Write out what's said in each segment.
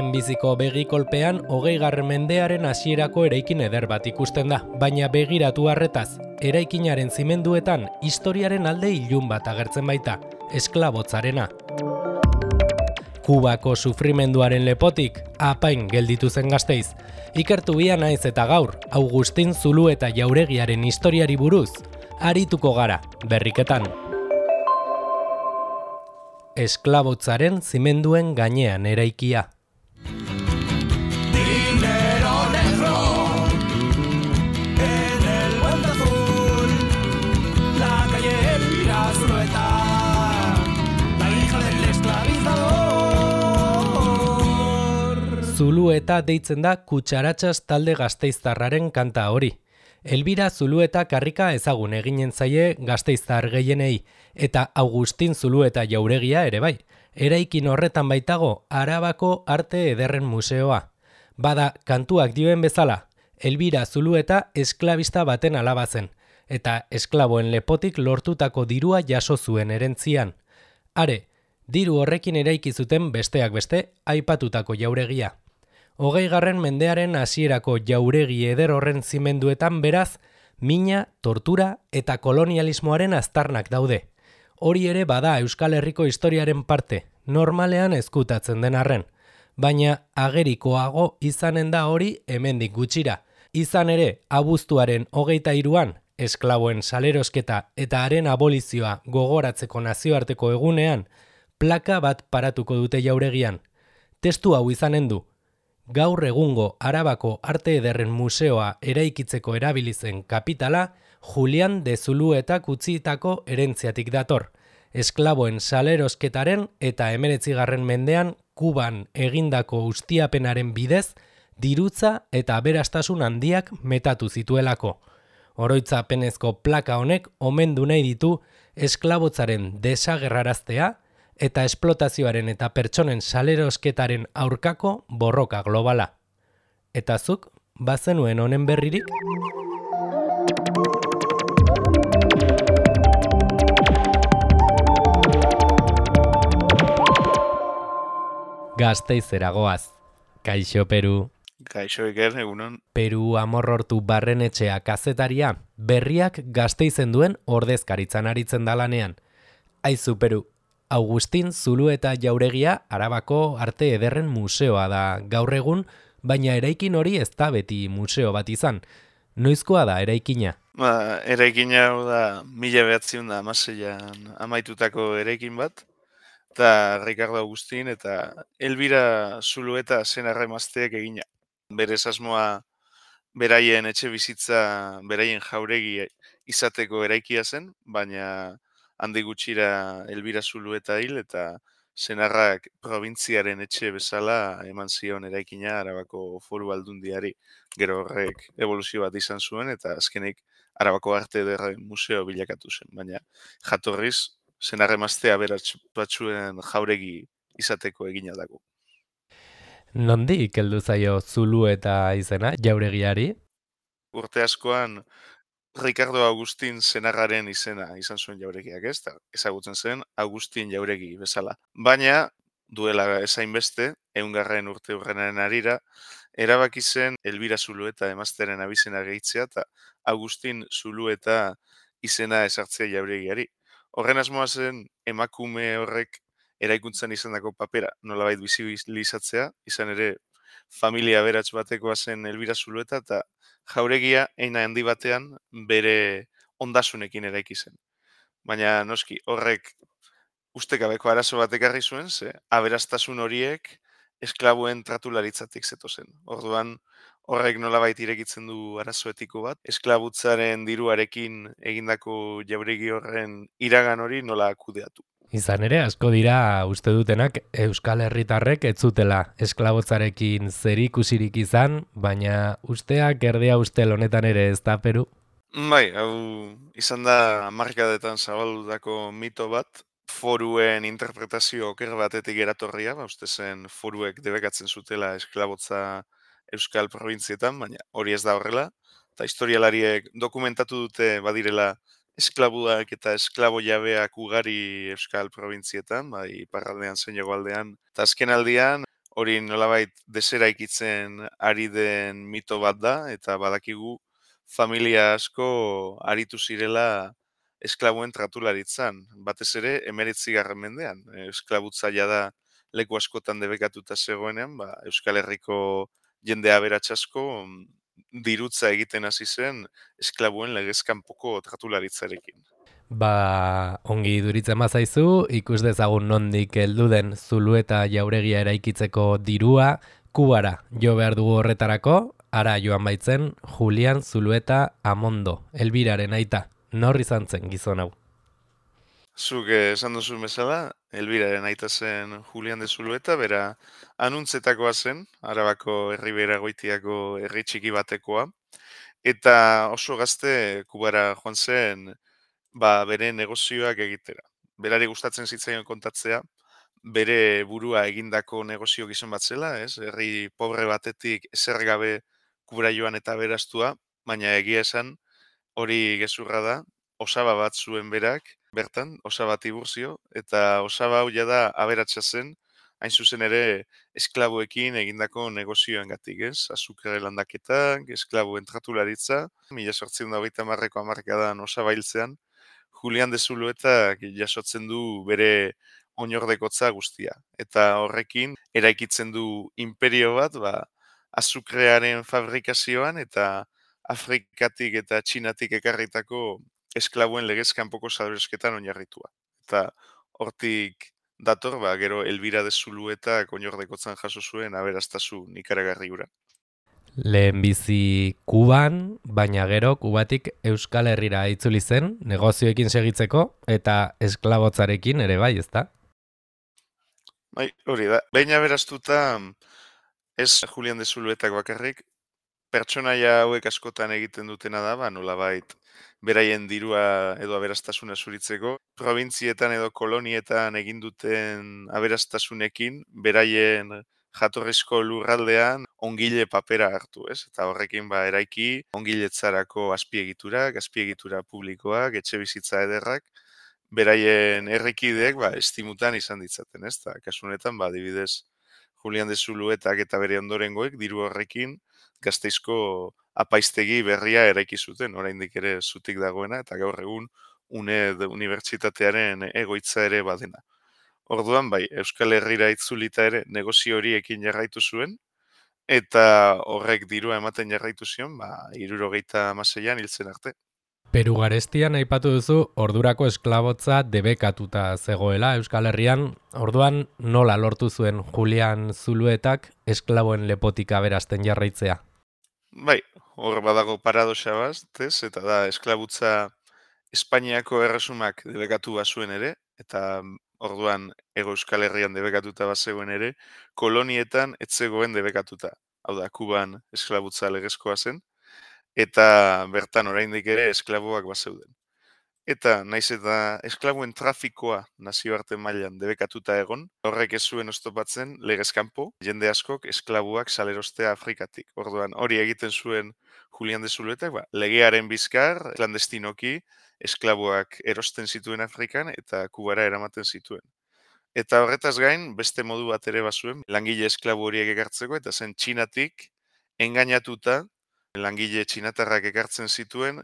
Lehenbiziko begikolpean 20. mendearen hasierako eraikin eder bat ikusten da, baina begiratu harretaz, eraikinaren zimenduetan historiaren alde ilun bat agertzen baita, esklabotzarena. Kubako sufrimenduaren lepotik apain gelditu zen Gasteiz. Ikertu bia naiz eta gaur, Agustin Zulueta jauregiaren historiari buruz, arituko gara berriketan. Esklabotzaren zimenduen gainean eraikia. Zulueta deitzen da Kutxaratxas talde gasteiztarraren kanta hori. Elbira Zulueta karrika ezagun eginen zaie gasteiztar gehienei, eta Agustin Zulueta jauregia ere bai. Eraikin horretan baitago Arabako Arte Ederren Museoa. Bada, kantuak dioen bezala, Elbira Zulueta esklabista baten alaba zen, eta esklaboen lepotik lortutako dirua jaso zuen erentzian. Are, diru horrekin eraiki zuten besteak beste aipatutako jauregia. 20. mendearen hasierako jauregi eder horren zimenduetan beraz, mina, tortura eta kolonialismoaren aztarnak daude. Hori ere bada Euskal Herriko historiaren parte, normalean ezkutatzen den arren. Baina agerikoago izanen da hori hemendik gutxira. Izan ere, abuztuaren 23an, esklaboen salerosketa eta haren abolizioa gogoratzeko nazioarteko egunean, plaka bat paratuko dute jauregian. Testu hau izanen du. Gaur egungo Arabako Arte Ederren Museoa eraikitzeko erabilizen kapitala, Julian de Zuluetak utzitako erentziatik dator. Esklaboen salerosketaren eta 19. mendean Kuban egindako ustiapenaren bidez, dirutza eta aberastasun handiak metatu zituelako. Oroitzapenezko plaka honek omendu nahi ditu esklabotzaren desagerraraztea, eta esplotazioaren eta pertsonen salerosketaren aurkako borroka globala. Eta zuk, bazenuen honen berririk? Gasteizera goaz. Kaixo Peru. Kaixo Iker, egunon. Peru Amorrortu Barrenetxea kazetaria, berriak Gasteizen duen ordezkaritzan aritzen da lanean. Aizu Peru, Agustin Zulueta jauregia Arabako Arte Ederren Museoa da gaur egun, baina eraikin hori ez da beti museo bat izan. Noizkoa da eraikina? Eraikina hau da 1916an amaitutako eraikin bat, eta Ricardo Agustin eta Elbira Zulueta senarra-emazteek egina. Berez asmoa beraien etxe bizitza, beraien jauregi izateko eraikia zen, baina handi gutxira Elbira Zulueta hil eta senarrak probintziaren etxe bezala eman zion eraikina Arabako Foru Aldundiari. Gero horrek evoluzio bat izan zuen eta azkenik Arabako Arte Ederren Museo bilakatu zen. Baina jatorriz senarra-emazte aberats batzuen jauregi izateko egina dago. Nondik heldu zaio Zulueta izena jauregiari? Urte askoan Ricardo Agustin senarraren izena izan zuen jauregiak, ez? Ezagutzen zen Agustin jauregi bezala. Baina, duela ezain beste, 100. urte hurrenaren harira, erabaki zen Elbira Zulueta emazteren abizena gehitzea eta Agustin Zulueta izena ezartzea jauregiari. Horren asmoa zen emakume horrek eraikuntzan izandako papera nolabait bizibilizatzea, izan ere familia aberats batekoa zen Elbira Zulueta eta jauregia eina handi batean bere ondasunekin eraiki zen. Baina noski horrek ustekabeko arazo bat ekarri zuen, ze aberastasun horiek esklaboen tratularitzatik zetozen. Orduan horrek nolabait irekitzen du arazo etiko bat, esklabutzaren diruarekin egindako jauregi horren iragan hori nola kudeatu. Izan ere, asko dira uste dutenak Euskal Herritarrek ez zutela esklabotzarekin zerikusirik izan, baina usteak erdea ustel honetan ere ez da Peru? Bai, hau izan da hamarkadetan zabaldutako mito bat, foruen interpretazio oker batetik eratorria, uste zen foruek debekatzen zutela esklabotza Euskal Probintzietan, baina hori ez da horrela, eta historialariek dokumentatu dute badirela esklabuak eta esklabo jabeak ugari Euskal Probintzietan, bai iparraldean zein hegoaldean. Eta azken aldian, hori nolabait deseraikitzen ari den mito bat da, eta badakigu familia asko aritu zirela esklabuen tratularitzan, batez ere 19. mendean. Esklabutza da leku askotan debekatuta zegoenean, Euskal Herriko jende aberats asko dirutza egiten hasi zen esklabuen legez kanpoko tratularitzarekin. Ongi duritzen bazaizu, ikus dezagun nondik heldu den Zulueta jauregia eraikitzeko dirua, Kubara jo behar dugu horretarako, ara joan baitzen Julian Zulueta Amondo, Elbiraren aita. Nor izan zen gizon hau? Zuk esan duzu bezala, Elbiraren aita zen Julian de Zulueta, bera Anuntzetakoa zen, Arabako Herribera Goitiako herri txiki batekoa, eta oso gazte Kubara joan zen bere negozioak egitera. Berari gustatzen zitzaion kontatzea, bere burua egindako negozio gizon bat zela, ez? Herri pobre batetik ezer gabe Kubara joan eta beraztua, baina egia esan hori gezurra da, osaba bat zuen berak, bertan, osaba Tiburcio, eta osaba hau da aberatsa zen, hain zuzen ere esklabuekin egindako negozioengatik, ez? Azukre landaketak, esklabuen tratularitza, 1830ko hamarkadan osaba hiltzean, Julian de Zuluetak jasotzen du bere oinordekotza guztia. Eta horrekin, eraikitzen du imperio bat, azukrearen fabrikazioan eta Afrikatik eta Txinatik ekarritako esklabuen legez kanpoko salbesketan oinarritua. Eta hortik dator, gero Elbira de Zuluetak oinordekotzan jaso zuen aberastasun ikaragarri hura. Lehenbizi Kuban, baina gero Kubatik Euskal Herrira itzuli zen, negozioekin segitzeko eta esklabotzarekin ere bai, ezta? Bai, hori da. Behin aberastuta, ez Julian de Zuluetak bakarrik, pertsonaia hauek askotan egiten dutena da, nolabait beraien dirua edo aberastasuna zuritzeko. Provintzietan edo kolonietan egin duten aberastasunekin, beraien jatorrizko lurraldean ongile papera hartu, ez? Eta horrekin eraiki ongiletzarako azpiegitura publikoak, etxe bizitza ederrak, beraien herrikideek estimutan izan ditzaten, ez? Ta kasu honetan adibidez Julian de Zuluetak eta bere ondorengoek diru horrekin Gasteizko apaiztegi berria eraiki zuten, oraindik ere zutik dagoena eta gaur egun UNED unibertsitatearen egoitza ere badena. Orduan Euskal Herrira itzulita ere negozio horiekin jarraitu zuen eta horrek dirua ematen jarraitu zion, 76an hiltzen arte. Peru garestian aipatu duzu ordurako esklabotza debekatuta zegoela Euskal Herrian, orduan nola lortu zuen Julian Zuluetak esklaboen lepotik aberasten jarraitzea? Bai, hor badago paradoxa bat, eta da esklabutza Espainiako erresumak debekatu bazuen ere, eta orduan Hego Euskal Herrian debekatuta bazegoen ere, kolonietan ez zegoen debekatuta. Hau da, Kuban esklabutza legezkoa zen, eta bertan oraindik ere esklaboak bazeuden. Eta naiz eta esklabuen trafikoa nazioarte mailan debekatuta egon, horrek ez zuen oztopatzen legez kanpo, jende askok esklabuak salerostea Afrikatik. Orduan hori egiten zuen Julian de Zuluetak, legearen bizkar, klandestinoki, esklabuak erosten zituen Afrikan eta Kubara eramaten zituen. Eta horretaz gain, beste modu bat ere bazuen, langile esklabu horiek ekartzeko, eta zen Txinatik engainatuta, langile txinatarrak ekartzen zituen,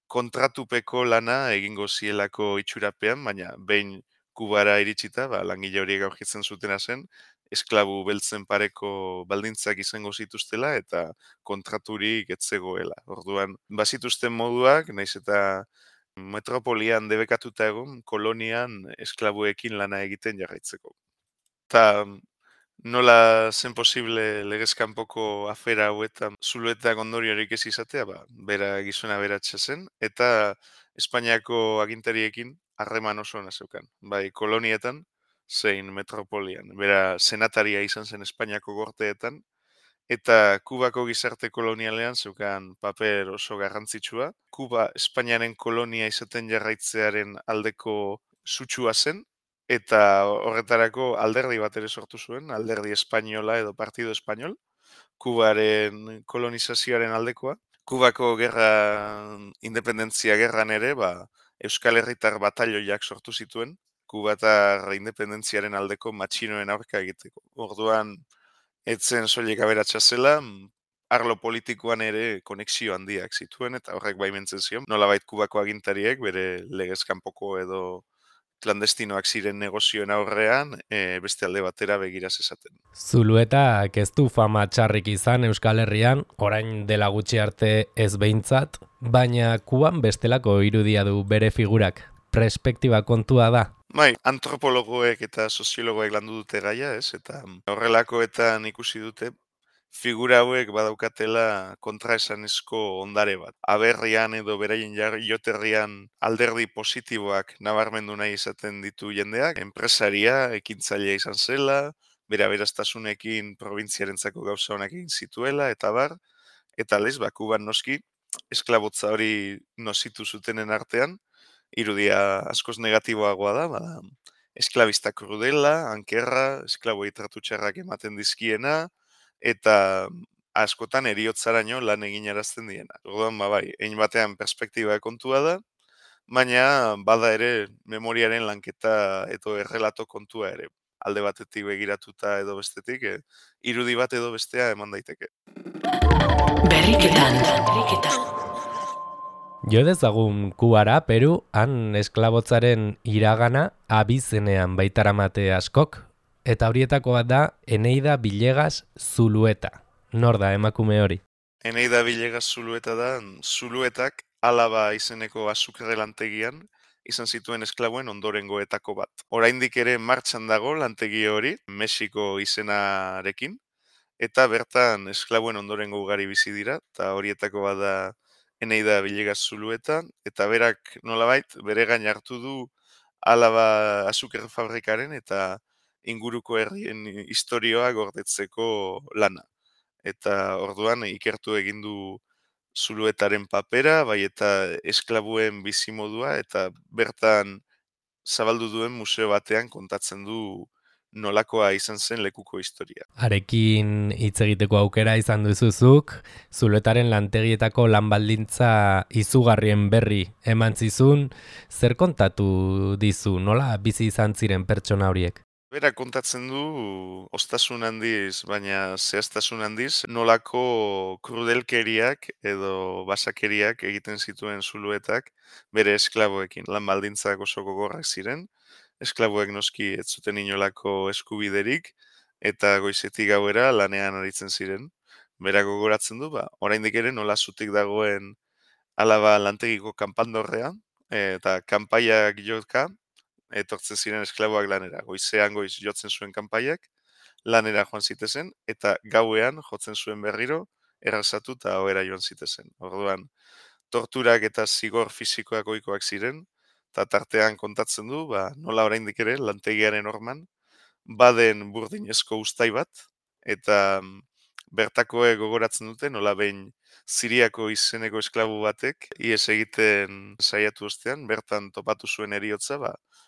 kontratupeko lana egingo zielako itxurapean, baina behin Kubara iritsita, langile horiek aurkitzen zutena zen, esklabu beltzen pareko baldintzak izango zituztela eta kontraturik ez zegoela. Orduan, bazituzten moduak, naiz eta metropolian debekatuta egon, kolonian esklabuekin lana egiten jarraitzeko. Ta nola zen posible legez kanpoko afera hauetan Zuluetak ondoriorik ez izatea, bera gizona beratxa zen, eta Espainiako agintariekin harreman oso ona zeukan. Bai, kolonietan, zein metropolian. Bera senataria izan zen Espainiako gorteetan, eta Kubako gizarte kolonialean zeukan paper oso garrantzitsua. Kuba Espainiaren kolonia izaten jarraitzearen aldeko sutsua zen, eta horretarako alderdi bat ere sortu zuen, alderdi espainola edo partido espainol, Kubaren kolonizazioaren aldekoa. Kubako gerra, independentzia gerran ere, Euskal Herritar batalioiak sortu zituen, Kubatar independentziaren aldeko matxinoen aurka egiteko. Orduan, etzen soilik aberatsa zela, arlo politikoan ere konexio handiak zituen, eta horrek baimentzen zion. Nolabait Kubako agintariek bere legez kanpoko edo klandestinoak ziren negozioen aurrean, beste alde batera begira zezaten. Zuluetak ez du fama txarrik izan Euskal Herrian, orain dela gutxi arte ez behintzat, baina Kuban bestelako irudia du bere figurak. Perspektiba kontua da. Bai, antropologoek eta soziologoek landu dute gaia, ez? Eta horrelakoetan ikusi dute figura hauek badaukatela kontraesanezko ondare bat. Aberrian edo beraien joterrian alderdi positiboak nabarmendu nahi izaten ditu jendeak, enpresaria, ekintzailea izan zela, bere aberastasunekin probintziarentzako gauza honak egin zituela, eta bar, eta lez, Kuban noski, esklabotza hori nozitu zutenen artean, irudia askoz negatiboagoa da, bada, esklabista krudela, ankerra, esklaboi tratu txarrak ematen dizkiena, eta askotan eriotzaraino lan egin arazten diena. Orduan, bai, egin batean perspektiba kontua da, baina bada ere memoriaren lanketa edo errelato kontua ere. Alde batetik begiratuta edo bestetik, irudi bat edo bestea eman daiteke. Berriketan. Jo dezagun Kubara, Peru, han esklabotzaren iragana abizenean baitaramate askok, eta horietako bat da Eneida Villegas Zulueta. Nor da emakume hori? Eneida Villegas Zulueta da, Zuluetak Alaba izeneko azukre lantegian izan zituen esklaboen ondorengoetako bat. Oraindik ere martxan dago lantegi hori, Mexiko izenarekin, eta bertan esklaboen ondorengo ugari bizi dira, eta horietako bat da Eneida Villegas Zulueta, eta berak nolabait bere gain hartu du Alaba azukre fabrikaren eta inguruko herrien historioa gordetzeko lana. Eta orduan ikertu egin du Zuluetaren papera, bai eta esklabuen bizimodua, eta bertan zabaldu duen museo batean kontatzen du nolakoa izan zen lekuko historia. Arekin hitz egiteko aukera izan duzuzuk, Zuluetaren lantegietako lan baldintza izugarrien berri eman zizun, zer kontatu dizu, nola bizi izan ziren pertsona horiek? Bera kontatzen du ostasun handiz, baina zehaztasun handiz, nolako krudelkeriak edo basakeriak egiten zituen Zuluetak bere esklaboekin. Lan baldintzak oso gogorrak ziren, esklaboek noski ez zuten inolako eskubiderik, eta goizetik gauera lanean aritzen ziren. Bera gogoratzen du, oraindik ere nola zutik dagoen Alaba lantegiko kanpandorrea, eta kanpaiak joka, etortzen ziren esklaboak lanera. Goizean goiz jotzen zuen kanpaiak, lanera joan zitezen, eta gauean jotzen zuen berriro, errazatu eta ohera joan zitezen. Orduan, torturak eta zigor fisikoak ohikoak ziren, eta tartean kontatzen du, nola oraindik ere, lantegiaren orman, baden burdinezko ustai bat, eta bertakoek gogoratzen dute, nola behin Siriako izeneko esklabu batek, ihes egiten saiatu ostean, bertan topatu zuen eriotza,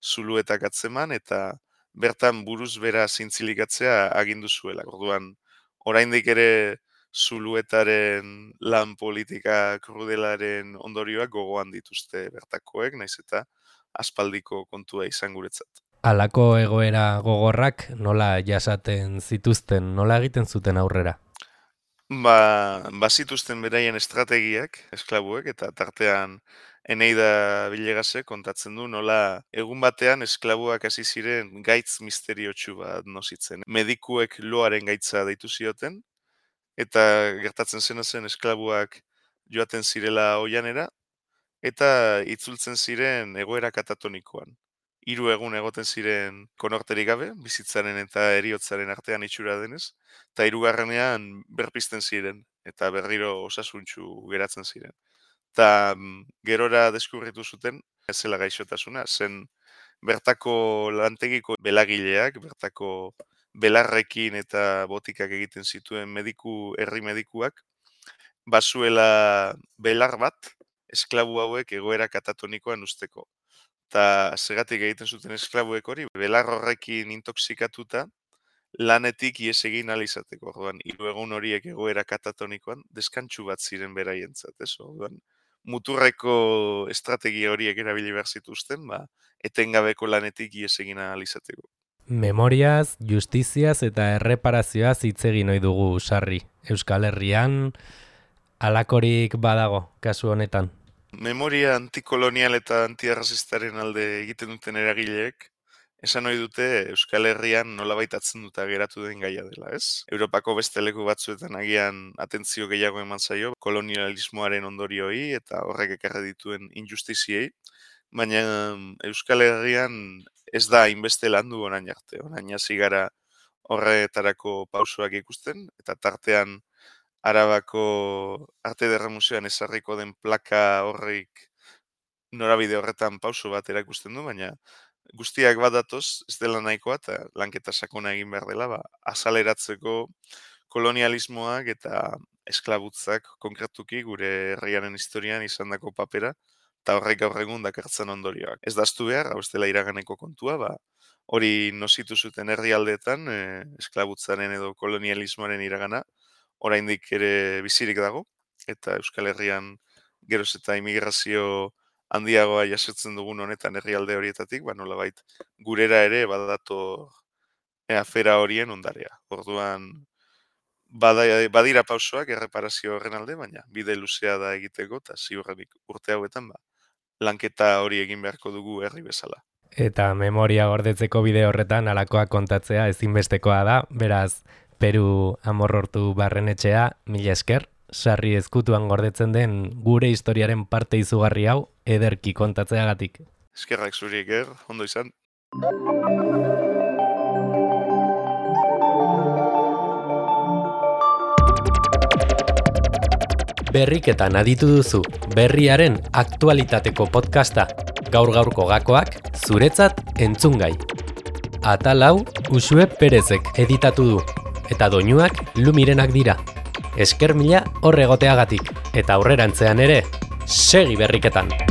Zuluetak atzeman, eta bertan buruz bera zintzilikatzea agindu zuela. Orduan, oraindik ere Zuluetaren lan politika krudelaren ondorioak gogoan dituzte bertakoek, naiz eta aspaldiko kontua izan guretzat. Halako egoera gogorrak nola jasaten zituzten, nola egiten zuten aurrera? Bazituzten beraien estrategiak, esklabuek, eta tartean Eneida Villegasek kontatzen du nola egun batean esklabuak hasi ziren gaitz misteriotsu bat nozitzen. Medikuek loaren gaitza deitu zioten, eta gertatzen zena zen esklabuak joaten zirela oianera, eta itzultzen ziren egoera katatonikoan. 3 egun egoten ziren konorterik gabe, bizitzaren eta heriotzaren artean itxura denez, eta 3. berpizten ziren, eta berriro osasuntsu geratzen ziren. Eta gerora deskurritu zuten, ez zela gaixotasuna, zen bertako lantegiko belagileak, bertako belarrekin eta botikak egiten zituen herri medikuak, bazuela belar bat, esklabu hauek egoera katatonikoan usteko. Eta segatik egiten zuten esklabuek hori, belar horrekin intoxikatuta, lanetik ihes egin ahal izateko. Orduan, 3 egun horiek egoera katatonikoan, deskantsu bat ziren beraientzat, ez? Orduan, muturreko estrategia horiek erabili behar zituzten, etengabeko lanetik ihes egin ahal izateko. Memoriaz, justiziaz eta erreparazioaz hitz egin ohi dugu sarri. Euskal Herrian halakorik badago kasu honetan. Memoria antikolonial eta antiarrazistaren alde egiten duten eragileek, esan ohi dute Euskal Herrian nolabait atzunduta geratu den gaia dela, ez? Europako beste leku batzuetan agian atentzio gehiago eman zaio kolonialismoaren ondorioi eta horrek ekarri dituen injustiziei, baina Euskal Herrian ez da hainbeste landu orain arte. Orain hasi gara horretarako pausoak ikusten eta tartean Arabako Arte Ederra Museoan ezarriko den plaka horrik norabide horretan pauso bat erakusten du, baina guztiak bat datoz, ez dela nahikoa eta lanketa sakona egin behar dela, azaleratzeko kolonialismoak eta esklabutzak konkretuki gure herriaren historian izandako papera eta horrek gaur egun dakartzen ondorioak. Ez daztu behar, hau ez dela iraganeko kontua, hori nozitu zuten herrialdeetan esklabutzaren edo kolonialismoaren iragana, oraindik ere bizirik dago, eta Euskal Herrian geroz eta immigrazio handiagoa jasotzen dugun honetan herrialde horietatik, nolabait gurera ere badator afera horien ondarea. Orduan, badira pausoak erreparazio horren alde, baina bide luzea da egiteko, eta ziurrenik urte hauetan, lanketa hori egin beharko dugu herri bezala. Eta memoria gordetzeko bide horretan halakoak kontatzea ezinbestekoa da, beraz, Peru Amorrortu Barrenetxea, mila esker, sarri ezkutuan gordetzen den gure historiaren parte izugarri hau ederki kontatzeagatik. Eskerrak zuri Iker, ondo izan. Berriketan aditu duzu, berriaren aktualitateko podcasta, gaur-gaurko gakoak zuretzat entzungai. Atal hau Uxue Perezek editatu du, eta doinuak Lumirenak dira. Esker mila hor egoteagatik, eta aurrerantzean ere, segi berriketan!